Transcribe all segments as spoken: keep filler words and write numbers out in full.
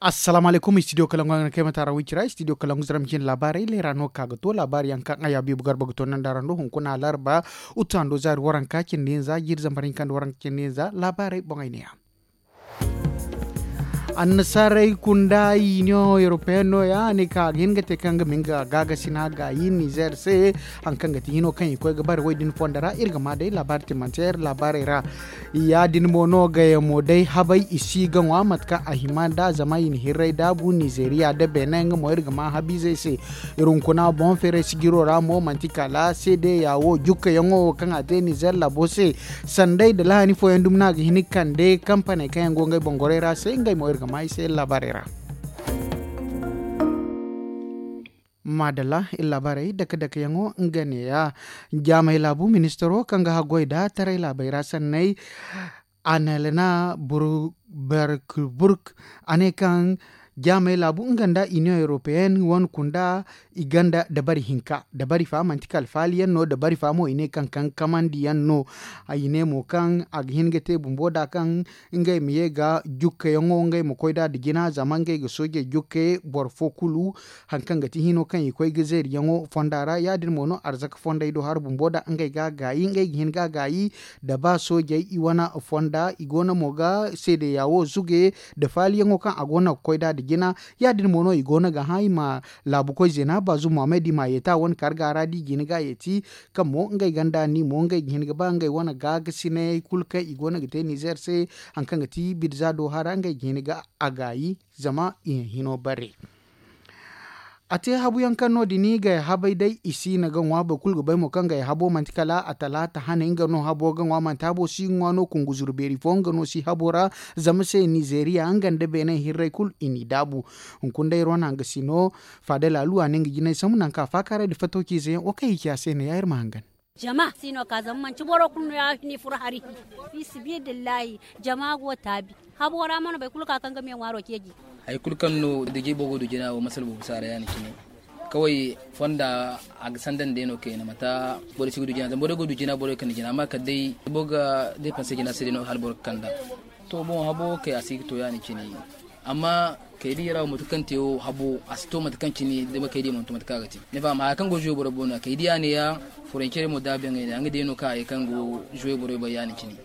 Assalaamu alaykum, studio kalangu a ga na kay mata ra wicira studio kalangu zara ma cine laabaarey leera no ka ga to laabaari yaŋ kaŋ a ya biibu garba ga to nanda ra ndo hunkuna larba, utu hando zaari waranka cindi hinza jiiri zambar hinka nda waranka cindi hinza laabaarey boŋey ne ya. Annasaarey kunda union européenne no ya a ne ka a ga hin ga te kaŋ ga ma nga gaagasi no a gaayi nizer se. Hari kaŋ ga ti hino kaŋ i koy ga bare wo- din fondo ra iri ga ma day laabaari timanteer laabaarey ra. Ya- din mo no gayamo day habay i si ga ŋwa mate kaŋ a hima nd'a zama i na hirray daabu nizeeriya nda beene nga mo iri ga ma habiizey se. Iri hunkuna boŋ feeray sijiro ra mo manti kala seedeya wo jukkayaŋo wo kaŋ a te nizer laabo se. Sanday nda lahani fooyaŋ dumi no a ga hin ga kande kampaney kaŋ yaŋ go ngey boŋ gorey ra se ngey mo iri ga ma i se laabaarey ra. Maadalla iri laabaarey dake dake yaŋo nga ne ya. Jaamey laabu ministaro kaŋ ga haggoy nda taray laabey ra sanney. Annelena berkburg a ne kaŋ jaamey laabu nga nda union européenne wane kunda i gonda dabari hinka dabari fa manti kala faali yaŋ no dabari fa mo i ne kaŋ kaŋ kamandi yaŋ no. I ne mo kaŋ a ga hin ga te bumbo nd'a kaŋ ngey ma ye ga jukkayaŋo ngey ma koy nd'a nda jina zama ngey ga soojey jukke boro fo kulu. Hari kaŋ ga ti hino kaŋ i koy ga zeeriyaŋo fonda ra ya- din mo no arzaka fondey do hari bumbo nd'a ngey ga a gaayi ngey ga hin ga a gaayi. Da ba soojey i wane fonda i go no mo ga seedeya wo zuge nda faaliyaŋo kaŋ a go no ga koy nd'a nda jina. Ya- din mo no i go no ga hã i ma laabukoy zeena baazu muhammad i m'a yeeti a wane karga ra da i ga hin ga a yeeti. Kaŋ mo ngey ganda ni mo ngey ga hin ga ba ngey wane gaagasinay kulu kaŋ i go no ga te nizer se. Hari kaŋ ga ti birza do hara ngey ga hin ga a gaayi zama i hino bare. A te habu yaŋ kaŋ no- din gay habay day i si na ga ŋwa boro kulu ga bay mo kaŋ gay habo manti kala a talaata hane nga no habo ga ŋwa manti habo si ga ŋwa no kunguzuru beeri fo nga no si habo ra. Zama se nizeeriya nga nda beene hirray kulu i n'i daabu. Hunkuna day iri wane hangasino faada laalu a ne nga jinay sambu nangu kaŋ a faakaaray nda fattawciize yaŋ wo kaŋ i ci a se ne ya iri ma hangan. Jama si no ka zama manti boro kulu no ya ni furo hari. Fi sibidillahi jama go taabi. Habo ra mana boro kulu ka kaŋ ga me ŋwaaro ceeji. Hari kulu kaŋ no duje boro go du jina wo masala boro si a ra ya- din cine. Kaway fonda a ga sanda nda day no kayna mata borey si ga du jina zama borey go du jina borey kande jina amma kala day boro ga deepanse jina se day no hala boro ga kand'a. To boŋ habo kay a si ga to ya- din cine. Amma kay diya ra wo mate kaŋ te wo habo a si to mate kaŋ cine dama kay diya mana to mate kaŋ a ga te. Ni faham haya kaŋ go zuwe borey boŋ no ya kay diya ne ya. Furancey mo daabu yaŋ ay ne ya nga day no kaŋ a ye kaŋ go zuwe borey bay ya- din cine.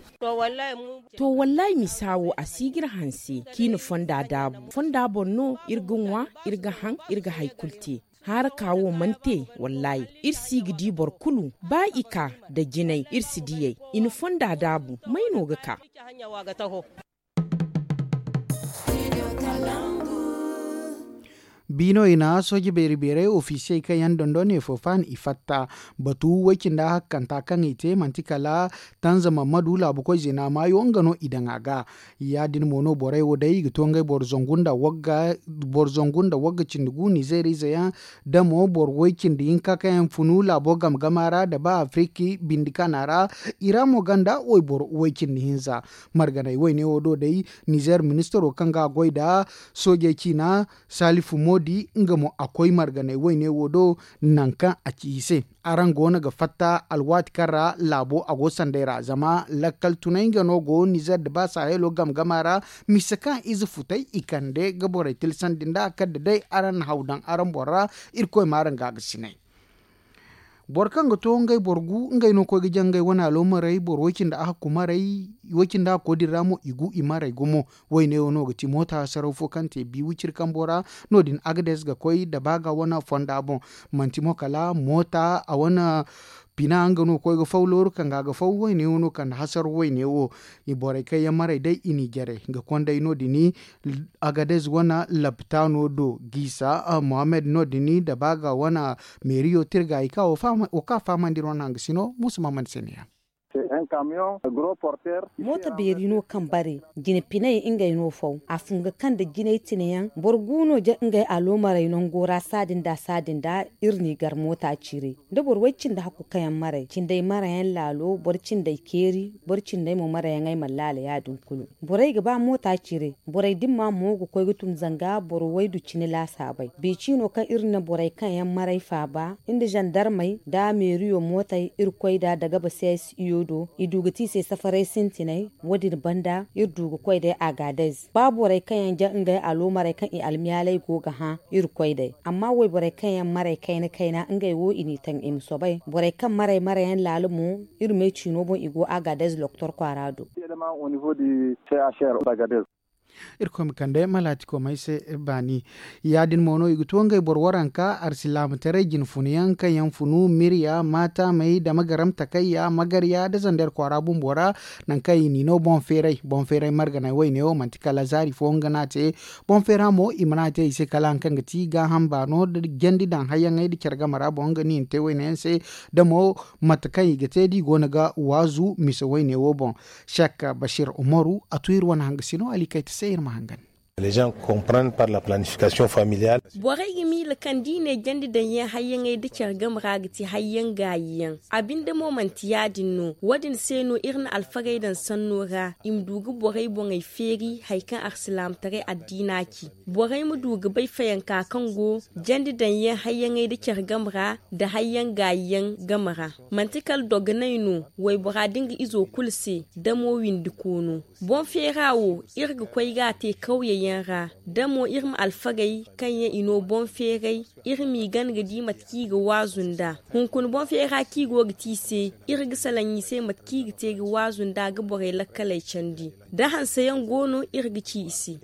To wallahi misa wo a si ga iri hanse kaŋ i na fonda daabu fonda boŋ no iri ga ŋwa, iri ga haŋ, iri ga hari kulu te. Haaraka wo mana te wallahi iri si ga di boro kulu ba i ka nda jinay iri si diyey. I na fonda daabu may no ga ka? Biino i na sooje beeri beeray ofisiyey kaŋ yaŋ dondon ne fo faan i fatta. Batu way-cindi hakkanta kaŋ i te manti kala tanza mammadu laabukoy zeena maayo nga no i daŋ a ga. Ya- din mo no borey wo day i ga to ngey boro zangu nda wagga cindi gu nizeeriize yaŋ. Da mo boro way-cindi hinka kaŋ yaŋ funu laabo game game a ra nda ba afiriki bindi kana ra. I ra mo gonda wayboro way-cindi hinza. Marganey wayne wo do day nizeer ministaro kaŋ ga a goy nda soojey ciina salifu moodi nga mo a koy marganey wayne wo do. Nangu kaŋ a ci i se araŋ go no ga fatta alwaati kaŋ ra laabo a go sanday ra zama lakkal tunay nga no go nizeer nda ba sahelo game game a ra. Mise kaŋ ize futay i kande ga borey tilsandi nd'a kala da day araŋ na haw daŋ araŋ boŋ ra. Irkoy ma araŋ gaagasinay. Boro kaŋ ga to ngey boro gu ngey no koy ga jaŋ ngey wane aloomarey boro way-cindi ahakku marey. Way-cindi ahakko din ra mo i gu i marey gumo. Wayne wo no ga ti moota hasaraw fo kaŋ te bi wiciri kambo ra. No- din agades ga koy dabaaga wane fonda boŋ. Manti mo kala moota a wane pina nga no koy ga faw looru kaŋ ga a ga faw wayne wo no kande hasaraw wayne wo. Borey kaŋ yaŋ marey day i n'i jare ga konday no- din. Agadez wane lapitaano do giisa mohammed no- din dabaaga wane meeriyo tirgaayi kaŋ wo ka fahamandi iri wane hangasino muusa mahammed se ne ya. Moota beeri no kaŋ bare jine pinay ngey no faw a fun ga kaŋ nda jinay tine yaŋ boro gu no ja ngey aloomarey nango ra saadin da saadin da. Iri n'i gar moota ciiray da boro way cindi hakku kaŋ yaŋ maray cinday marayaŋ laalo boro cinday keeri boro cinday mo marayaŋey mana laala ya- din kulu. Borey ga ba moota ciiray borey dimma mo ga koy ga tun zanga boro waydu cine laasaabey. Beeci no kaŋ iri na borey kaŋ yaŋ maray faaba nda zandarmey nda meeriyo mootey iri koy nd'a dagaba c s i o do. I du ga te i se safaray sintinay. Wo- din banda iri du ga koy day agadez ba borey kaŋ yaŋ ja ngey aloomarey kaŋ i almiyaaley go ga hã iri koy day. Amma wayborey kaŋ yaŋ marey kayna kayna ngey wo i n'i taŋ i ma soobay borey kaŋ marey marey yaŋ laala mo. Iri me ciino boŋ i go agadez doktor kwaara do. Irkoy ma kande malaatikomey se baani. Ya- din mo no i ga to ngey boro waranka arsilaamataray jinfuna yaŋ kaŋ yaŋ funu mirya maatamey da magaram takayya magarya da zander kwaara bumbo ra. Nangu kaŋ i n'i no boŋ feeray boŋ feeray marganay wayne wo manti kala zaari fo nga no a te. Boŋ feera mo i mana te i se kala hari kaŋ ga ti gaaham baano da jandi daŋ hayyaŋey da care game ra boŋ nga no i na te wayne yaŋ se. Da mo mate kaŋ i ga te da i go no ga waazu mise wayne wo boŋ. Sek bashir umaru a tu iri wane hangasino alikayta se iri ma hangan. Borey ga miila kaŋ da i ne jandi daŋ yaŋ hayyaŋey da care game ra ga ti hayyaŋ gaayi yaŋ. A binde mo manti ya- din no wo- din se no iri na alfagey daŋ sanno ra i ma du ga borey boŋey feeri hari kaŋ arsilaamataray addiina ci. Borey ma du ga bay fayanka kaŋ go jandi daŋ yaŋ hayyaŋey da care game ra nda hayyaŋ gaayi yaŋ game ra. Manti kala dogonay no waybora da nga izo kulu se da mo windi koono. Boŋ feera wo iri ga koy ga a te kawye yaŋ ra da mo iri ma alfagey kaŋ yaŋ i no boŋ feeray. Iri m'i gana ga di mate kaŋ i ga waazu nd'a hunkuna boŋ feera kaŋ i go ga te i se. Iri ga salaŋ i se mate kaŋ i ga te ga waazu nd'a ga borey lakkaley candi da hanse yaŋ go no iri ga ci i se.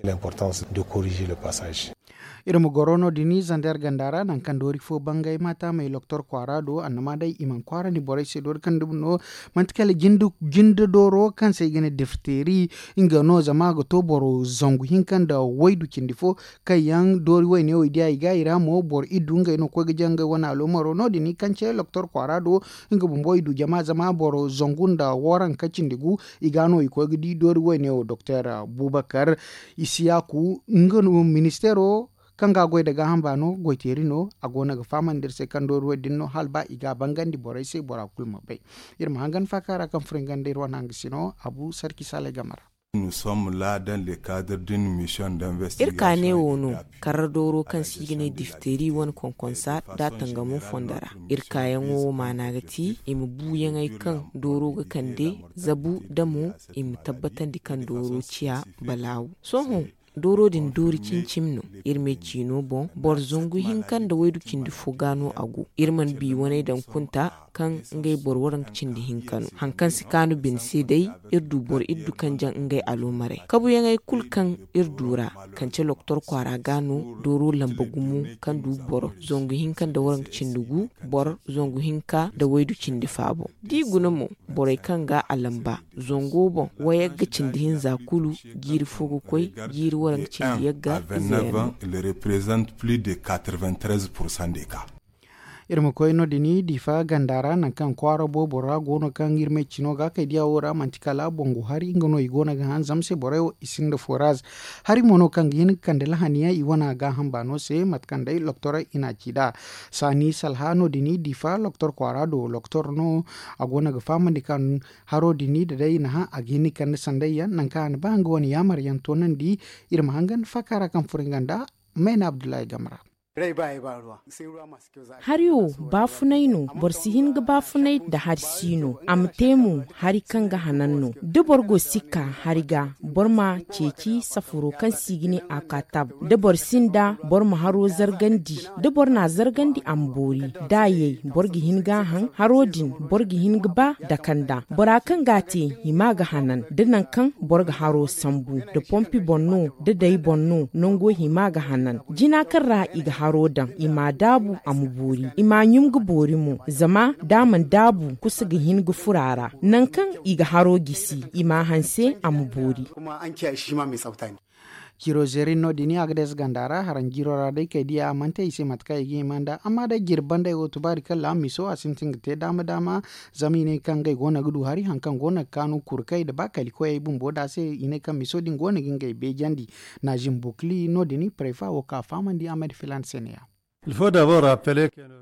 Iri ma goro no- din zander ganda ra nangu kaŋ doori fo bangay maatamey loktor kwaara do annama day i mana kwaarandi borey se doori kaŋ dumi no. Manti kala jinde dooro kaŋ se i ga ne difteeri nga no zama a ga to boro zangu hinka nda waydu cindi fo. Kaŋ yaŋ doori wayne wo i diya i ga i ra mo boro iddu ngey no ga koy ga jaŋ ngey wane aloomaro no- din kaŋ ce loktor kwaara do. Nga bumbo i du jama zama boro zangu nda waranka cindi gu. I ga no i koy ga di doori wayne wo doktor bubakar isiyaku nga no ministeero kaŋ ga a goy nda gaaham baano goyteeri no a go no ga fahamandi iri se kaŋ doori wo- din no hala ba i ga a bangandi borey se bora kulu ma bay. Iri ma hangan faaka ra kaŋ furo i ganda iri wane hangasino abu sarki salay game ra. Iri ka ne wo no karra dooro kaŋ se i ga ne difteeri wane konkonsa nda a tangamo fondo ra. Iri kaayaŋo wo maana ga ti i ma buuyaŋey kaŋ dooro ga kande zabu nda mo i ma tabbatandi kaŋ dooro ciya balaawu. Sohõ dooro din doori cimi-cimi no. Iri me ciino boŋ boro zangu hinka nda waydu cindi fo ga no a go. Iri mana bi waney daŋ kunta kaŋ ngey boro waranka cindi hinka no hari kaŋ si kaanu bine se day. Iri du boro iddu kaŋ jaŋ ngey aloomarey kabuyaŋey kulu kaŋ iri du ra kance loktor kwaara ga no dooro lamba gumo kaŋ du boro zangu hinka nda waranka cindi gu boro zangu hinka nda waydu cindi faabo. Da i guna mo borey kaŋ ga a lamba zango boŋ wayagga cindi hinza kulu jiiri fo ga koy jiiri waranka cindi yagga. Iri ma koy no- din diifa ganda ra nangu kaŋ kwaara boobo ra go no kaŋ iri ma ay cino ga kay diya wo ra manti kala bongu hari nga no i go no ga han zama se borey wo i sinda foraz. Hari mo no kaŋ ga hin ga kande lahani yaŋ i wane a ga hamba no se mate kaŋ day loktor i na a ci nd'a. Saani salha no- din diifa loktor kwaara do loktor no a go no ga fahamandi kaŋ haro din da day i na hã a ga hin ga kande sanday yaŋ nangu kaŋ a na ba nga wane yaamar yaŋ toonandi. Iri ma hangan faaka ra kaŋ furo nga nda mayna abdullahi game ra. Hari wo baafunay no. Boro si hin ga baafunay nda hari si no a ma te mo hari kaŋ ga hanan no. Da boro go sikka hari ga boro ma ceeci safaro kaŋ se i ga ne a ka tab. Da boro sinda boro ma haro zargandi. Da boro na a zargandi a ma boori da a yay boro ga hin ga a haŋ haro din boro ga hin ga ba dakanda bora kaŋ ga a te hima ga hanan da nangu kaŋ boro ga haro sambu da pompi boŋ no da day boŋ no nango hima ga hanan. Jina kaŋ ra i ga haro daŋ i ma a daabu a ma boori i ma a ɲum ga boori mo zama da a mana daabu kusa ga hin ga furo a ra. Nangu kaŋ i ga haro gisi i ma a hanse a ma boori. Jiro zerin no- din a ga deesa ganda ra haraŋ jiro ra day kay diya a mana te i se mate kaŋ i ga hima nd'a amma day jiri bandey wo tubaari kaŋ laama miso a sintin ga te daama daama. Zama i ne kaŋ ngey go no ga du hari hari kaŋ go no ga kaanu kurkey nda ba kalikoyey bumbo nd'a se i ne kaŋ miso din go no ga ngey beejandi. Naazim bukli no- din prefa wo ka fahamandi a ma di filaana se ne- ya.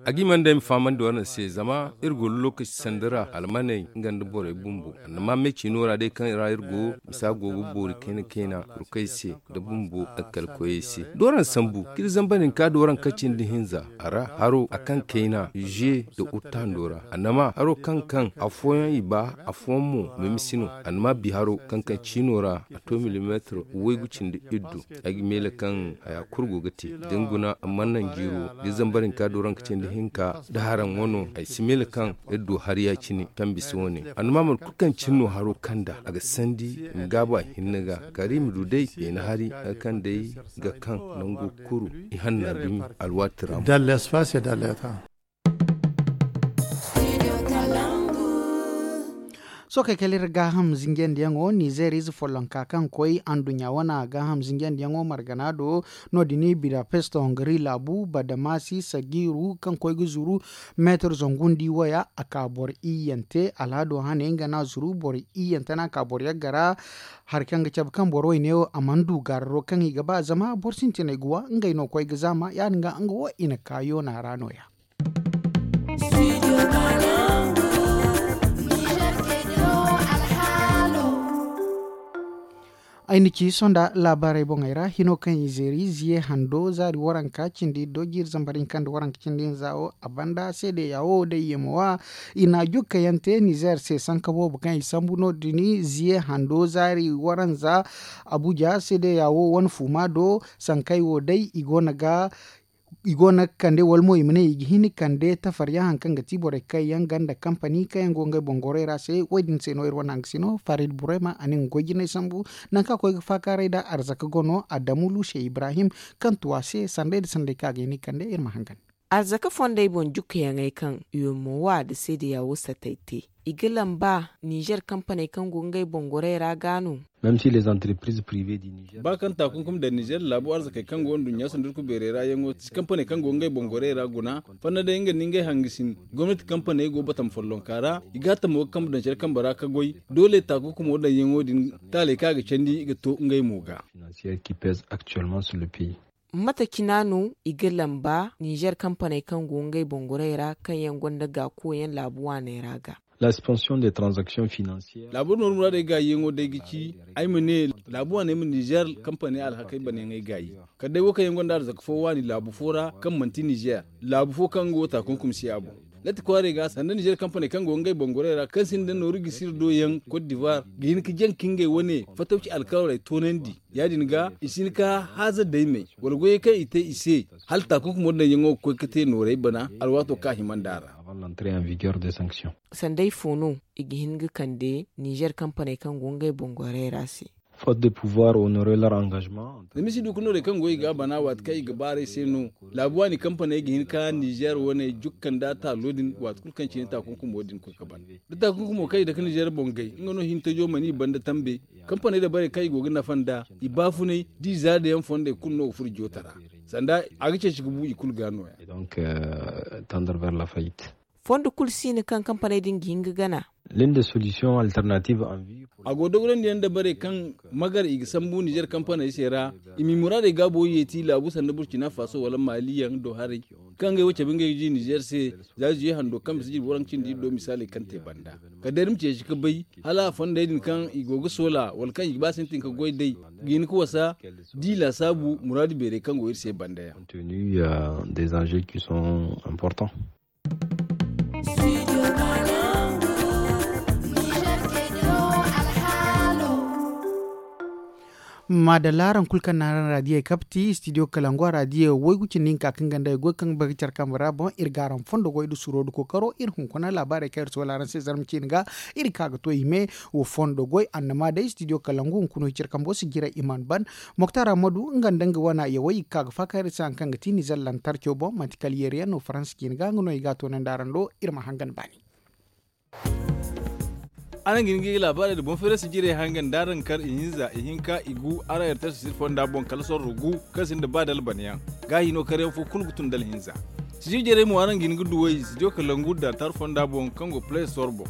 A ga hima nda ay ma fahamandi waraŋ se zama iri go lokaci sanda ra almaney nga nda borey bumbo. Annama me ciino ra day kaŋ ra iri go misa go ga boori kayna kayna, rukey se nda bumbo alkalkoyey se da waraŋ sambu k'iri zamba din ka da waraŋ kaci nda hinza a ra haro a kaŋ kayna ze nda uttando ra. Annama haro kaŋ kaŋ afooyaŋ i ba afooyaŋ mo meme si no. Annama bi haro kaŋ kaŋ ciino ra a to milimeetir waygu cindi iddu. Ay ga meele kaŋ haya kulu go ga te da ni guna a mana naŋ jiiro da zambar hinka dooranka cindi hinka da haraŋ wano ay si meele kaŋ iri du hari ya-cine kaŋ bisa wane. Annama mate kulu kaŋ cine no haro kaŋ da a ga sandi i ma gaabu a hinne ga kala i ma du day beene hari hari kaŋ day ga kaŋ nango kulu i hanna dumi alwaati ra mo. Sookey kala iri gaaham zinjandiyaŋo nizeer ize follonka kaŋ koy anduɲɲa wane gaaham zinjandiyaŋo margana do. No- din budapest hongari laabu badamasi sagiiru kaŋ koy ga zuru meetar zangu nda i waya a ka boro iyyante alhado hane nga no a zuru boro iyyante no a ka boro yagga ra. Hari kaŋ ga cabe kaŋ boro wayne wo a mana du gaararo kaŋ i ga ba zama boro sintinay ga wa ngey no koy ga zaama ya- din ga nga wo i na ka yoona ra no- ya. Ay na ci sonda laabaarey boŋey ra hino kaŋ i zeeri ziye hando zaari waranka cindi do jiiri zambar hinka nda waranka cindi hinza wo a banda seedeya wo day yeemo wa i na jukkayaŋ te nizeer se sanka boobo kaŋ i sambu no- din ziye hando zaari waranza abuja seedeya wo wane fuuma do sankey wo day i go no ga i go no ga kande wala mo i ma ne i ga hin ga kande tafaryaŋ hari kaŋ ga ti borey kaŋ yaŋ ganda kampani kaŋ yaŋ go ngey boŋ gorey ra se wo- din se no iri wane hangasino farid burema a ne nga goy jinay sambu. Nangu kaŋ a koy ga faakaaray nda arzaka gono adamu luuse ibrahim kaŋ tu a se sanday nda sanday kaŋ a ga hin ga kande iri ma hangan. Arzaka fondey boŋ jukkayaŋey kaŋ yomo wa nda seedeya wo satay te i ga lamba nizer kampaney kaŋ go ngey boŋ gorey ra ga no. Ba kaŋ taakunkum daŋ nizer laabu arzakey kaŋ go nduɲɲa sandurku beerey ra yaŋo si kampaney kaŋ go ngey boŋ gorey ra guna fanda day nga nda ngey hangasin gomnati kampaney go batama follonka ra i ga hattamo ga kambe daŋ care kambe ra ka goy doole taakunkumo daŋyaŋo din taaley kaŋ a ga candi ga to ngey mo ga. Mate cina no i ga lamba nizer kampaney kaŋ go ngey boŋ gorey ra kaŋ yaŋ gonda gaakoyaŋ laabu waaney ra ga. Laabu nooru muraadey gaayiyaŋo day ga ci ay ma ne laabu waaney ma nizer kampaney alhakey banayaŋey gaayi kala day wo kaŋ yaŋ gonda arzaka fo waani laabu fo ra kaŋ manti nizer laabu fo kaŋ nga wo taakunkum si a boŋ. Latti kwaarey ga sanda nizer kampaney kaŋ go ngey boŋ gorey ra kaŋ sinda nooru gisi iri do yaŋ kot divar ga hin ga jaŋ ka ngey wane fatawci alkawaley toonandi. Ya- din ga i si hin ka haaza daymey wala goyey kaŋ i te i se hala taakunkumo daŋyaŋo ga koy ga te noorey bana alwaato kaŋ a hima nd'a ra. Sanday fo no i ga hin ga kande nizer kampaney kaŋ go ngey boŋ gorey ra se? Zama i si du ga noorey kaŋ go i ga a bana waati kaŋ i ga baaray se no. Laabu waani kampaney ga hin ka nizer wane jukka nda taalo din waati kulu kaŋ cine taakunkumo din koy ga ban da taakunkumo kaŋ i dake nizer boŋ gay nga no hintajo mana i banda tambe. Kampaney dabarey kaŋ i go ga nafa nd'a i baafunay da i zaadayaŋ fondey kulu no ga furo joota ra. Sanda a ga ceeci ga bu i kulu ga no- ya. Fondo kulu si no kaŋ kampaney din ga hin ga gana. A go dogorandi yaŋ dabarey kaŋ magar i ga sambu nizer kampaney se ra i ma i muraadey gaabo yeeti laabu sanda burcina faso wala maali yaŋ do haray kaŋ ngey wo cabe ngey ga di nizer se. Za zuye hando kaŋ bisa jirbi waranka cindi iri do misaaley kaŋ te banda kala day iri ma ceeci ga bay hala fondey din kaŋ i go ga soola wala kaŋ i ga ba sintin ga goy day ga hin ga wasa da i laasaabu muraadu beerey kaŋ go iri se banda yaŋ. Maadalla araŋ kulu kaŋ na araŋ raadiyey kapti studio kalangu a raadiyo waygu cindi hinka kaŋ ganda ay goy kaŋ ga bay ga care kambe ra boŋ iri ga araŋ fondo goy nda suro nda kookaro iri hunkuna laabaarey kaŋ iri soola araŋ se zarma ciine ga. Iri ka ga to i me wo fondo goy annama day studio kalangu hunkuna hiciri kambo si jiray i mana ban. Moktar ammadu nga nda nga wana yawey i ga ka ga faaka iri se hari kaŋ ga ti nizer lantarco boŋ manti kala yeeri yaŋ no faransa ciine ga nga no i ga a toonandi araŋ do. Iri ma hangan baani. Araŋ ga hin ga i ga laabaarey nda boŋ feerasi jirey hangan da araŋ kar ihinza ihinka igu araŋ erters sir fonda boŋ kala sorro gu kaŋ sinda ba dalbanayaŋ. Gaahi no karyaŋ fo kulu ga tun dalhinza. Sijir jarey mo araŋ ga hin ga duwey sijo kalangu da tar fonda boŋ kaŋ go play store boŋ.